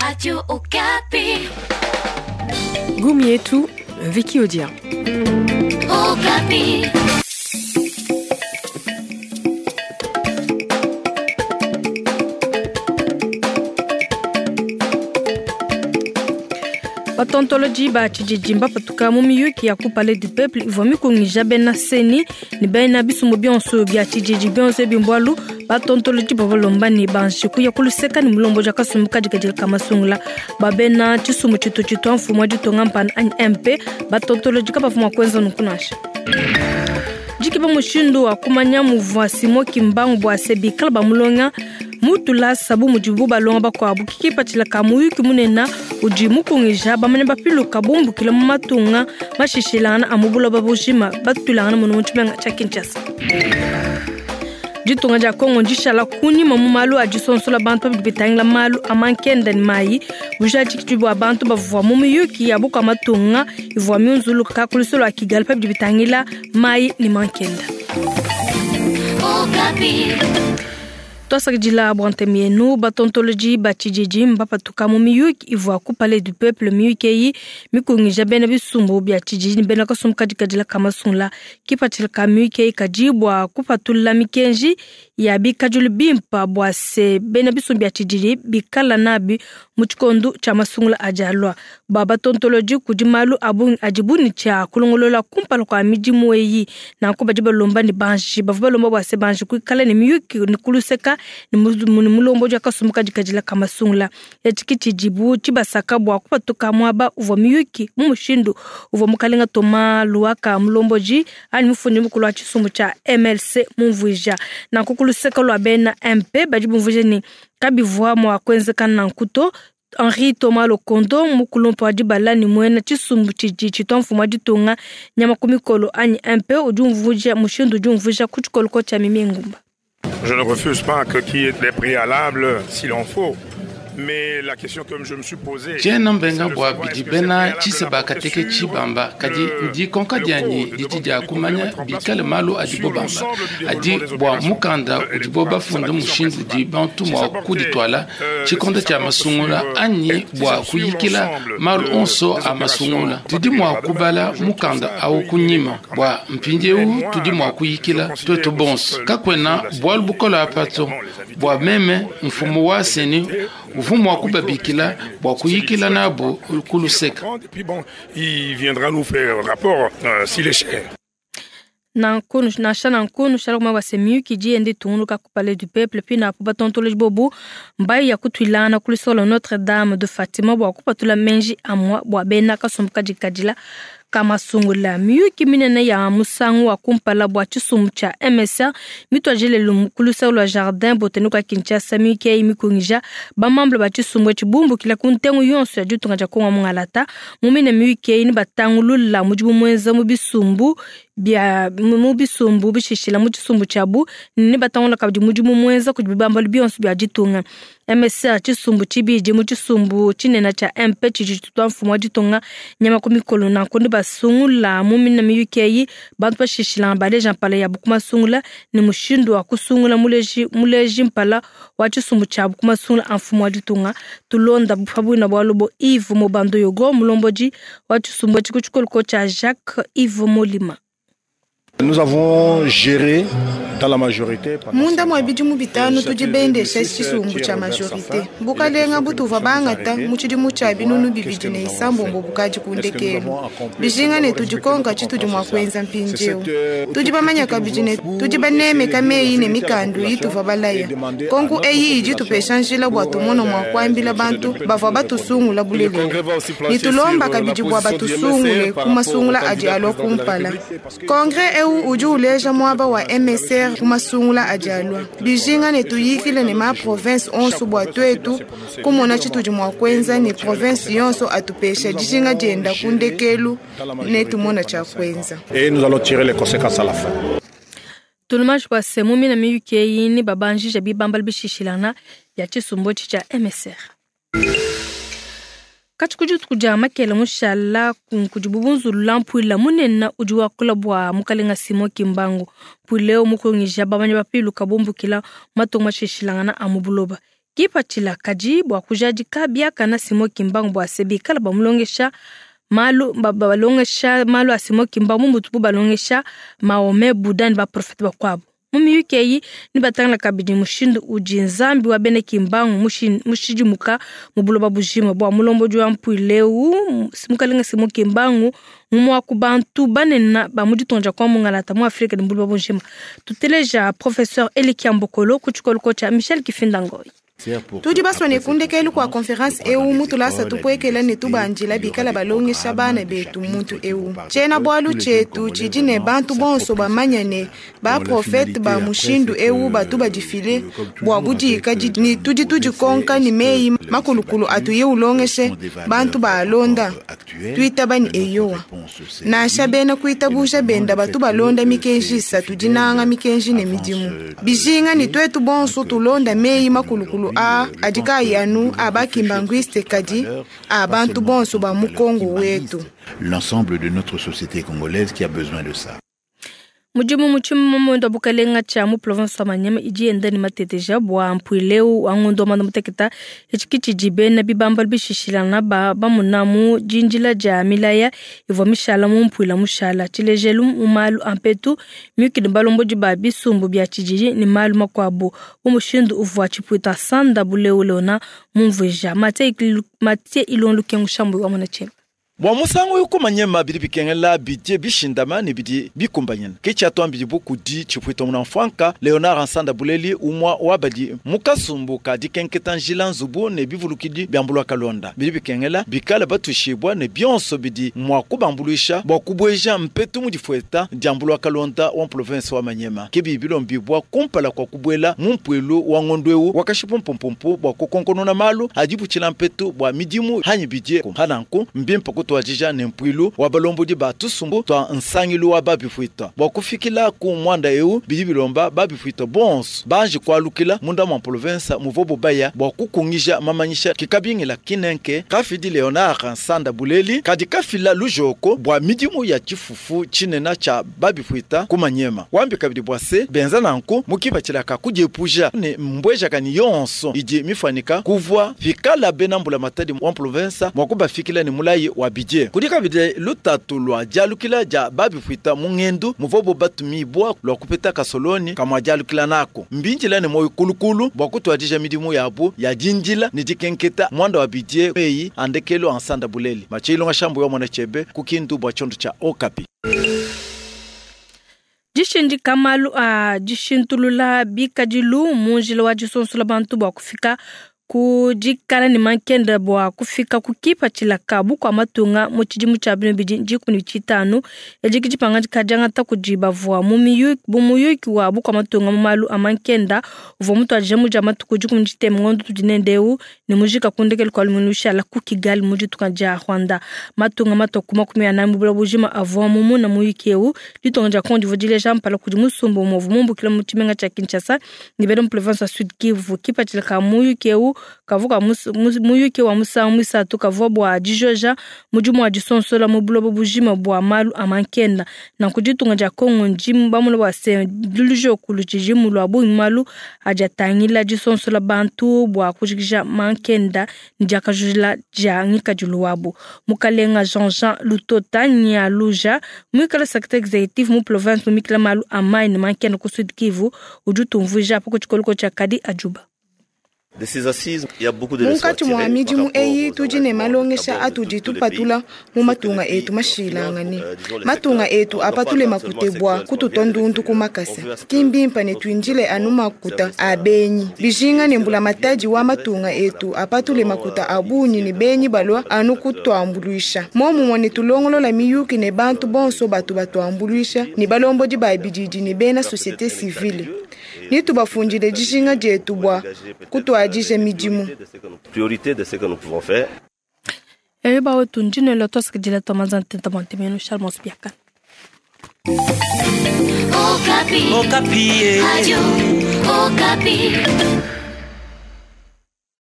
Radio Okapi. Goumi yetu, Vicky Odia. Okapi. Batontoloji ba tshididi mbapatuka mu miyuki ya ku Palais du Peuple ivua mikungija bena CENI ne bena bisumbu bionso bia tshididi bionso ebi mbualu batontoloji bavua balomba ne banji kuya ku luseka ne mulombodi wa kasumbu kadikadila ka masungula ba bena tshisumbu tshitu tshitua mfumu wa ditunga mpanda anyi MP. Batontoloji kabavua mua kuenza nunku nansha. Dikeba mushindu wa kumanya muvua Simon Kimbangu bua se bikala bamulonga mu tulasa bu mudibu balonga bakuabu ke kipatshila ka muyuki munene udi mukungija bamanya bapiluka bumbukila mu matunga mashishilangana a mu buloba bujima batuilangana muno mu tshimenga tshia Kinshasa. Ditunga dia Congo ndishala kunyima mu malu a disonsola bantu badi bitangila malu a mankenda ne mayi. Bujadiki bua bantu bavua mu miyuki ya bukua matunga ivua miunzuluka ku lusolo lua Kigali pa bidi bitangila mayi ne mankenda. Okapi. Tuasakidila bua ntema yenu. Batontoloji ba tshididi mbapatuka mu miyuki ivua ku Palais du Peuple. Miyuki eyi mikungija bena bisumbu bia tshididi ne bena kasumbu kadikadila ka masungula. Kipatshila ka miyuki eyi kadi bua kupatula mikenji ya bikadilu bimpa bua se bena bisumbu bia tshididi bikala nabi mu tshikondo tshia masungula adi alua. Bua batontoloji kudi malu a bungi adibu ne tshia kulongolola kumpala kua midimu eyi. Nanku badi balomba ne banji bavua balomba bua se banji kuikala ne miyuki ne kuluseka ne mulombodi wa kasumbu kadikadila ka masungula. Etshi ke tshidibu tshibasaka bua kupatuka muaba uvua miyuki mu mushindu uvua mukalenga Thomas Luhaka mulombodi anyi mufundi mukulu wa tshisumbu tshia MLC mumvuija. Nanku ku luseka lua bena MP badi bumvuija ne kabivua mua kuenzeka nanku to. Henri Thomas Lokondo mukulumpa wa dibala ne muena tshisumbu tshidi tshitua mfumu wa ditunga nyama ku mikolo anyi MP udi umvuija mushindu udi umvuija ku tshikoloko tshia Mimi Ngumba. Je ne refuse pas que qu'il y ait des préalables s'il en faut. Mais la question que je me suis posée, Tshiena mbenga c'est de bua savoir bidi est-ce que bena c'est préalable tshiseba d'apporter kateke sur tshibamba, kadi le ndikonka le dianyi code didi devant dia le kumanya mettre en place bikale malu adibo sur bamba. l'ensemble du Adi déroulement des bua opérations mukanda udibo électorales. bafunda C'est la question mushindu udi principale. bantu Si mua ça portait, kudituala tshikondo si tshia ça porte masungula sur, anyi si bua ça sur kuyikila l'ensemble malu de- onso des a opérations masungula. Tudi mua électorales, kubala je trouve mukanda ça un awu peu kunyima incohérent quand bua même. mpindieu Mais moi, tudi mua je kuyikila considère tuetu aussi bonso. que le Kakuena président de la bualu bukola CENI, apato également les invités, bua meme mfumu wa CENI uvua mua kubabikila bua kuyikila nabu ku luseka. Et puis bon, il viendra nous faire rapport s'il est cher. Nanku nansha nanku nushala kumanya bua se miyuki idi yenda itungunuka ku Palais du Peuple pina apu batontoloji bobu mbayi ya kutuilangana ku lusolo lua Notre Dame de Fatima bua kupatula menji amua bua bena kasumbu kadikadila ka masungula. Miyuki minene ya musangu wa kumpala bua tshisumbu tshia MSR mituadije lelu ku luseke lua Jardin Botanique wa Kinshasa. Miyuki eyi mikungija bamamble ba tshisumbu etshi bumbukila ku ntengu yonso ya ditunga dia Kongo mungalata. Mu mine miyuki eyi ne batangulula mudibu muenza mu bisumbu bia mu bisumbu bishishila mu tshisumbu tshiabu ne batangula kabidi mudimu muenza kudi bibambalu bionso bia ditunga. MSR tshisumbu tshibidi mu tshisumbu tshinene tshia MP tshidi tshitua mfumu wa ditunga nyama ku mikolo. Nanku ne basungula mu mine miyuki eyi bantu bashishilanga baleja mpala yabu ku masungula ne mushindu wa kusungula muleji mpala wa tshisumbu tshiabu ku masungula a mfumu wa ditunga. Tulonda pabuina bualu bo Yves Mobando Yogo mulombodi wa tshisumbu etshi ku tshikoloko tshia Jacques Yves Molima. Nous avons géré dans la majorité pendant Munda cinq mwa ans. bidimu bitanu Et tudi cette bendesha 2006, tshisumbu qui tshia est Robert majorité. Safin, Bukalenga il est butuva question bangata de mu tshidimu tshia voir binunu qu'est-ce bibidi que ne nous avons isambombo fait. bukadi ku Est-ce que nous ndekelu. avons accompli Bijinga ne nous avons tudi respecté konka notre tshitudi mua contrat kuenza social. C'est mpindieu. cette, Tudi bamanya kabidi ne autocritique tudi que nous banemeka voulons meyi ne pour mikandu essayer de ituva balaya. et demander à Konku notre eyi idi population tupesha njila bua pour, tumona mua kuambila les bantu élections de bavua batusungula Le bulelela. Congrès va aussi Ni plancher sur tulomba la kabidi bua position du MSR batusungule par ku masungula rapport au adi candidat alua président de la kumpala. République. Congrès eu udi uleja muaba wa MSR ku masungula adi alua. Bijinga ne tuyikile ne ma province onso bua tuetu kumona tshitudi mua kuenza ne province yonso atupesha dijinga dienda ku ndekelu ne tumona tshia kuenza. Et nous allons tirer les conséquences à la fin. Tulumashi bua se mu mine miyuki eyi ne babanjija bibambalu bishishilangana bia tshisumbu etshi tshia MSR. Katshi ku dituku dia makele mushala kudibu bunzulula mpuila munene udi wakula bua mukalenga Simon Kimbangu. Mpuila eu mukungija bamanyi bapiluka bumbukila matunga mashishilangana a mu buloba. Kipatshila kadi bua kujadika biakana Simon Kimbangu bua se bikala bamulongesha malu balongesha malu a Simon Kimbangu mutubu balongesha Mahomet, Buddha ne baprofete bakuabu. Mu miyuki eyi ne batangila kabidi mushindu udi Nzambi wa bena Kimbangu mushidimuka mu buloba bujima bua mulombodi wa mpuilu eu Mukalenga Simon Kimbangu ngumue wa ku bantu banene ba mu ditunga dia Kongo Mungalata mu Afrika ne mu buloba bujima. Tuteleja Professeur Elikia Mbokolo ku tshikolo tshia Michel Kifinda Ngoyi. Tudi basue ne ku ndekelu kua konferanse eu mu tulasa tupuekela ne tubandila bikala balongesha bana betu muntu eu. Tshiena-bualu tshietu tshidi ne bantu bonso bamanya ne baprofete ba mushindu eu batu badifile bua budikadidi ne tudi tudikonka ne meyi makulukulu atuye ulongeshe bantu baalonda. Tuitaba ne eyowa. Nansha bena kuitabuja benda batu balonda mikenji isatu, dinanga, mikenji ne midimu. Bijinga ne tuetu bonso tulonda meyi makulukulu aa adi kaayi anu a ba-kimbanguiste kadi a bantu bonso ba mu Kongo wetu. L'ensemble de notre société congolaise qui a besoin de ça. Mudimu mu tshimamuende wa bukalenga tshia mu province wa Maniema idi yenda ne mateteja bua mpuilu eu wa ngondo wa muanda muteketa. Etshi ki tshidi bena bibambalu bishishilangana ba bamuna mu dindila dia milaya ivua mishala mu mpuila mushala. Tshilejelu mu malu a mpetu, miyuki ne balombodi ba bisumbu bia tshididi ne malu makuabu bu mushindu uvua tshipuita Sanda Buleu Leona mumvuija. Mathieu Ilon Lukengu Shambu wa Mona Tshimba. Bua musangu eu kumanyema bidi bikengela bidie bishindama ne bidi bikumbanyina. Ke tshiatuambidibu kudi tshipuita munamfuanka Leonard Nsanda Buleli, umua wa badi mu kasumbu ka dikenketa njila, nzubu ne bivulukidi bia mbulua kalonda. Bidi bikengela bikale batuishibua ne bionso bidi mua kubambuluisha bua kubueja mpetu mu difueta dia mbulua kalonda wa mprovince wa Maniema. Ke bidi bilombibua kumpala kua kubuela mu mpuilu wa ngondu eu wa kashipumpumpu bua kukonkonona malu a dibutshila mpetu bua midimu hanyi bidie. Pananku mbimpe kutuadija ne mpuilu wa balombodi ba tusumbu tua nsangilu wa babipuita. Bua kufikila ku muanda eu bidi bilomba babipuita bonso banji kualukila munda mua province muvobo baya bua kukungija mamanyisha kikabingila kinenke kafidi Leonard Nsanda Buleli kadi kafila lujoko bua midimu ya tshifufu tshinena tshia babipuita ku Maniema. Wambi kabidi bua se benza nanku mu kipatshila ka kudiepuja ne mbuejakanyi yonso idi mifuanika kuvua pikala bena mbulamatadi wa province mua kubafikila ne mulayi wa bidie. Kudi kabidi lutatu lua dialukila dia babipuita mu ngendu muvobo batumibua lua kupeta kasoloni kamua dialukila nako. Mbindila ne moyo kulukulu bua kutuadija midimu yabu ya dindila ne dikenketa muanda wa bidie meyi a ndekelu a Nsanda Buleli. Matshilonga Shambu wa Mona Tshebe ku Kindu bua tshiondo tshia Okapi. Dishindika malu a dishintulula bikadilu mu njila wa disonsola bantu bua kufika ku dikala ne mankenda bua kufika ku kipatshila ka bukua matunga mu tshidimu tshia binu bidi dikumi ne tshitanu. Edi ke dipangadika diangata kudi bavua mu muyuki wa bukua matunga mu malu a mankenda uvua mutuadije mu dia matuku dikumi ne tshitema ngondo tudi nende eu ne mujika ku ndekelu kua lumingu lushala ku Kigali mu ditunga dia Rwanda. Matunga matua ku 40 mu buloba bujima avua mumuna muyuki eu. Ditunga dia Kongo divua dileja mpala kudi musumba umue uvua mumbukila mu tshimenga tshia Kinshasa ne bena mu province wa Sud Kivu. Kipatshila ka muyuki eu kavua muyuki wa musangu muisatu kavua bua dijoja mudimu wa disonsola mu buloba bujima bua malu a mankenda. Nanku ditunga dia Kongo ndi bamona bua se lujoku lutshidi lua bungi malu adi atangila disonsola bantu bua kujikija mankenda ne diakajula dia ngikadilu wabu. Mukalenga Jean-Jean Lutota Nyaluja muikala secrétaire exécutif mu province mumikila malu a mayi ne mankenda ku Sud Kivu udi utumvuija pa ku tshikoloko tshia Kadi Ajuba. Munkatshi mua midimu eyi tudi ne malongesha atudi tupatula mu matunga etu mashilangane. Matunga etu apatule makute bua kututua ndundu ku makasa. Ki mbimpe ne tuindile anu makuta a benyi. Bijinga ne mbulamatadi wa matunga etu apatule makuta a bungi ne benyi balua anu kutuambuluisha. Momumue ne tulongolola miyuki ne bantu bonso batu batuambuluisha ne balombodi ba bididi ne bena société civile. Ni tubafundile dijinga dietu bua kutuadija midimu. Priorité de ce que nous pouvons faire. Eyo bawetu ndinelo twasakidila twa manza ntenta bua ntemenu Charles Biaka. Okapi. Okapi. Radio Okapi.